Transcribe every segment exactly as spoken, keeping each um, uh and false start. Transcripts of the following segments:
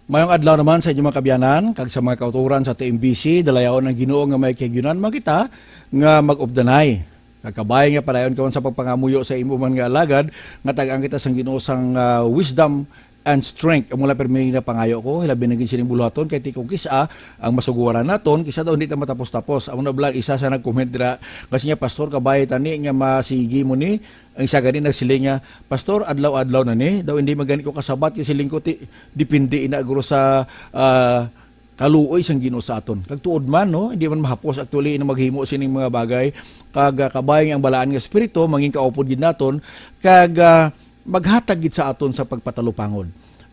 Mayong adlaw naman sa inyo, mga kabyanan, kag sa mga kauturan sa T M B C. Dalayawon ang Ginoo nga may kahigayonan man kita nga mag-updanay. Kag kabay nga padayon ka man sa pagpangamuyo sa imo man nga alagad, nga tag-an kita sang Ginoo sang, ah, wisdom and strength. Amo lang pirmi nga pangayo ko, hilabi na gid sining buluhaton, kay ti kung kis-a ang masugoran naton, kis-a daw hindi ta matapos-tapos. Amo na bala isa sa nag-comment dira, kasi niya, "Pastor, kabay tani nga masigi mo ni." Ang isa gani nagsiling niya, "Pastor, adlaw-adlaw na ni. Daw hindi man gani ko kasabat," kay siling ko, "Ti, depende ina guro sa, ah, kaluoy sang Ginoo sa aton." Kag tuod man, no, hindi man mahapos actually na maghimo sining mga bagay. Kag, ah, kabay nga ang balaan nga espiritu mangin kaupod gid naton, kag, ah, maghatag gid sa aton sa pagpatalupangod.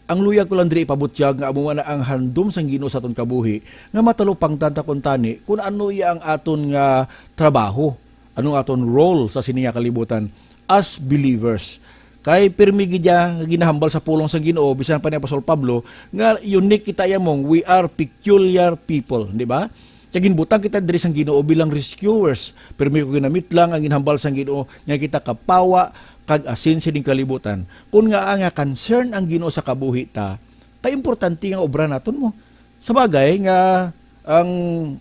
Ang luyag ko lang diri ipabutyag nga amo man ang handom sang Ginoo sa aton kabuhi, nga matalupangtan ta kuntani kun ano iya ang aton nga trabaho, ano ang aton role sa sini nga kalibutan as believers. Kay pirmi gid iya nga ginahambal sa pulong sang Ginoo, bisan pa ni Apostol Pablo, nga unique kita iya mong, "We are peculiar people," di ba? Kay ginbutang kita diri sang Ginoo bilang rescuers. Pirmi ko ginamit lang ang ginhambal sang Ginoo nga kita kapawa kag asin sining kalibutan. Kun nga nga concern ang Ginoo sa kabuhi ta, kay importante nga obra naton mo. Sa bagay nga ang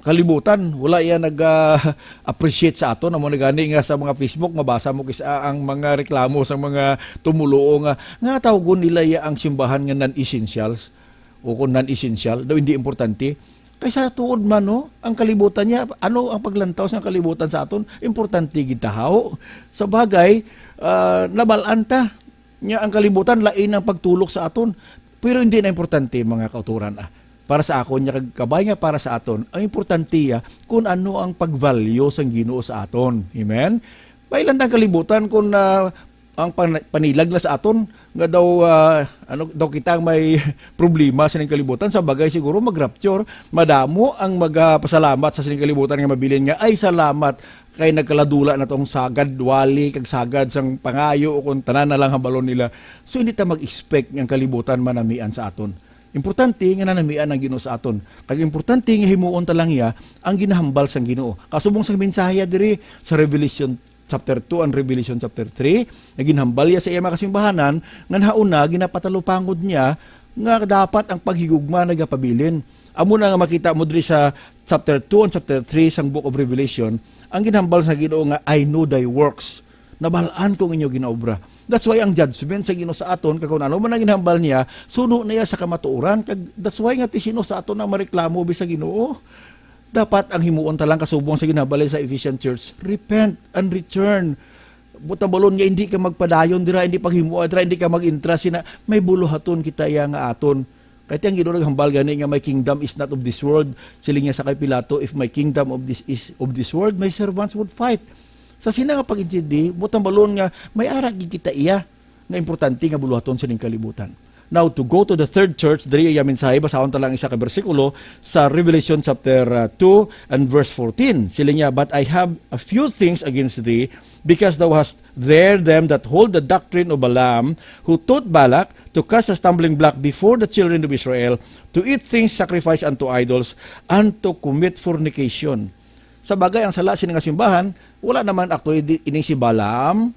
kalibutan wala iya nag, ah, appreciate sa aton. Amo na gani nga sa mga Facebook mabasa mo kis-, ah, ang mga reklamo sa mga tumuluo nga, nga tawgon nila iya ang simbahan nga non-essentials o kung non-essential, daw hindi importante. Kay sa tuod man, no, ang kalibutan niya, ano ang paglantaw sa kalibutan sa aton? Importante gid ta, haw? Sa bagay, ah, nabalaan ta nga ang kalibutan lain ang pagtulok sa aton. Pero hindi na importante, mga kauturan, ah. Para sa akon, niya kag kabay nga para sa aton, ang importante, ah, kung ano ang pag-value sang Ginoo sa aton. Amen? May lang ang kalibutan kung, ah, ang pan-, panilag na sa aton nga daw, ah, ano, daw kita ang may problema sa ning kalibutan. Sa bagay, siguro mag-rapture, madamo ang magapasalamat sa sining kalibutan nga mabilin nga, "Ay, salamat kay nagkaladula na tong sagad wali kag sagad sang pangayo, o kung tanan na lang hambalon nila." So, hindi ta mag-expect nga ang kalibutan manamian sa aton. Importante nga nanamian ang Ginoo sa aton. Kag importante nga himuon ta lang iya ang ginahambal sang Ginoo. Kasubong sang mensahe diri sa Revelation chapter two and Revelation chapter three, nga ginhambal iya sa iya mga kasimbahanan, nga nahauna ginapatalupangod niya nga dapat ang paghigugma nagapabilin. Amo na nga makita mo diri sa chapter two and chapter three sang Book of Revelation, ang ginhambal sa Ginoo nga, "I know thy works." Nabalaan ko ang inyo ginaobra. That's why ang judgment sa Ginoo sa aton, kag kung ano man ang ginhambal niya, suno na iya sa kamatuoran. Kag that's why nga ti sino sa aton ang mareklamo bi sa Ginoo? Dapat ang himuon ta lang kasubong sa ginhambal sa Ephesian church, "Repent and return." Buta balon nga hindi ka magpadayon dira, hindi paghimoa dira, hindi ka mag-intra sina, may buluhaton kita iya nga aton. Kay ti ang Ginoo naghambal gani nga, "My kingdom is not of this world." Siling niya sa kay Pilato, "If my kingdom of this is of this world, my servants would fight." Sa sina nga pag-intindi, buta balon nga may ara gid kita iya nga importante nga buluhaton sining kalibutan. Now, to go to the third church, diri iya mensahe, basahon ta lang isa ka bersikulo sa Revelation chapter, uh, two and verse fourteen. Siling niya, "But I have a few things against thee, because thou hast there them that hold the doctrine of Balaam, who taught Balak to cast a stumbling block before the children of Israel, to eat things sacrificed unto idols, and to commit fornication." Sa bagay, ang sala sini nga simbahan, wala naman akto di-, ining si Balaam,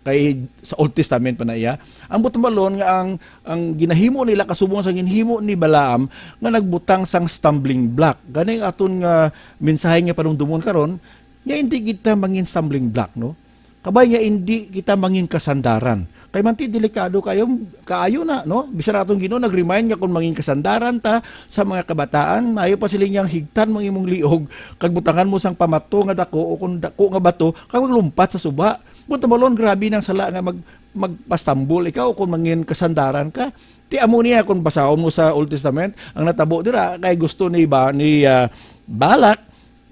kay sa Old Testament pa na iya. Ang buot balon nga ang, ang ginahimo nila kasubong sa ginhimo ni Balaam nga nagbutang sang stumbling block. Gani ang aton nga mensahe nga panumdumon karon, nga hindi kita mangin stumbling block, no? Kabay nga hindi kita mangin kasandaran. Kay manti delikado kayo, kaayo na, no? Bisan atong Ginoo nag-remind nga kung mangin kasandaran ta sa mga kabataan, maayo pa sila niyang higtan mang imong liog, kag butangan mo sang pamato nga dako o kung dako nga bato, kag maglumpat sa suba. Buta balon, grabe nang sala nga mag-, magpastambol ikaw kung mangin kasandaran ka. Ti amo niya kung basahon mo sa Old Testament, ang natabo dira kay gusto ni ba, ni, ah, Balak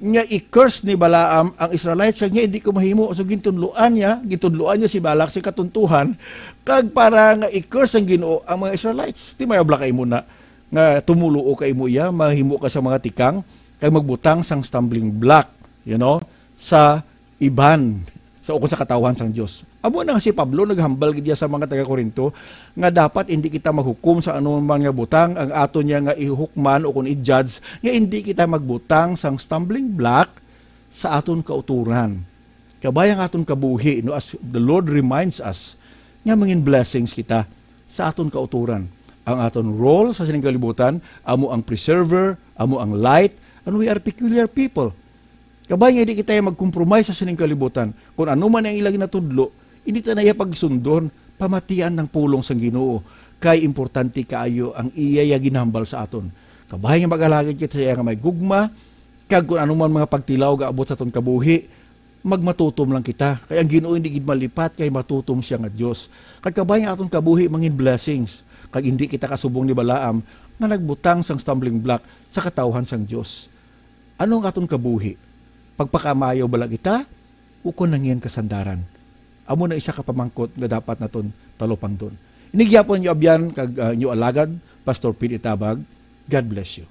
nga i-curse ni Balaam ang Israelites, kag niya hindi ko mahimo. So, gintunluan niya, gintunluan niya si Balak sa katuntuhan, kag para nga i-curse ang Ginoo ang mga Israelites. Ti may obla kay mo na nga tumuluo kay mo iya, mahimo ka sa mga tikang, kag magbutang sang stumbling block, you know, sa iban sa ukon sa katawhan sang Dios. Amo na nga si Pablo naghambal gid iya sa mga taga-Corinto nga dapat hindi kita maghukom sa anuman nga butang ang aton niya nga ihukman o kon i-judge, nga hindi kita magbutang sang stumbling block sa aton kauturan. Kabay ang aton kabuhi, no, as the Lord reminds us nga mangin blessings kita sa aton kauturan. Ang aton role sa sining kalibutan, amo ang preserver, amo ang light, and we are peculiar people. Kabay nga di kita magkompromise sa sining kalibutan. Kung ano man ang ila ginatudlo, hindi ta na iya pagsundon, pamatian ang pulong sang Ginoo, kay importante kaayo ang iya, iya ginhambal sa aton. Kabay nga mag-alagad kita sa iya nga may gugma, kag kung ano man mga pagtilaw gaabot sa aton kabuhi, magmatutom lang kita. Kay ang Ginoo hindi gid malipat, kay matutom siya nga Dios. Kag kabay nga aton kabuhi mangin blessings, kag hindi kita kasubong ni Balaam nga nagbutang sang stumbling block sa katawhan sang Dios. Ano ang aton kabuhi? Pagpakamayo bala kita, ukon nangin kasandaran? Amo na isa ka pamangkot nga dapat naton talupangdon. Ini gyapon inyo abyan kag, ah, inyo alagad, Pastor Pete Tabag. God bless you.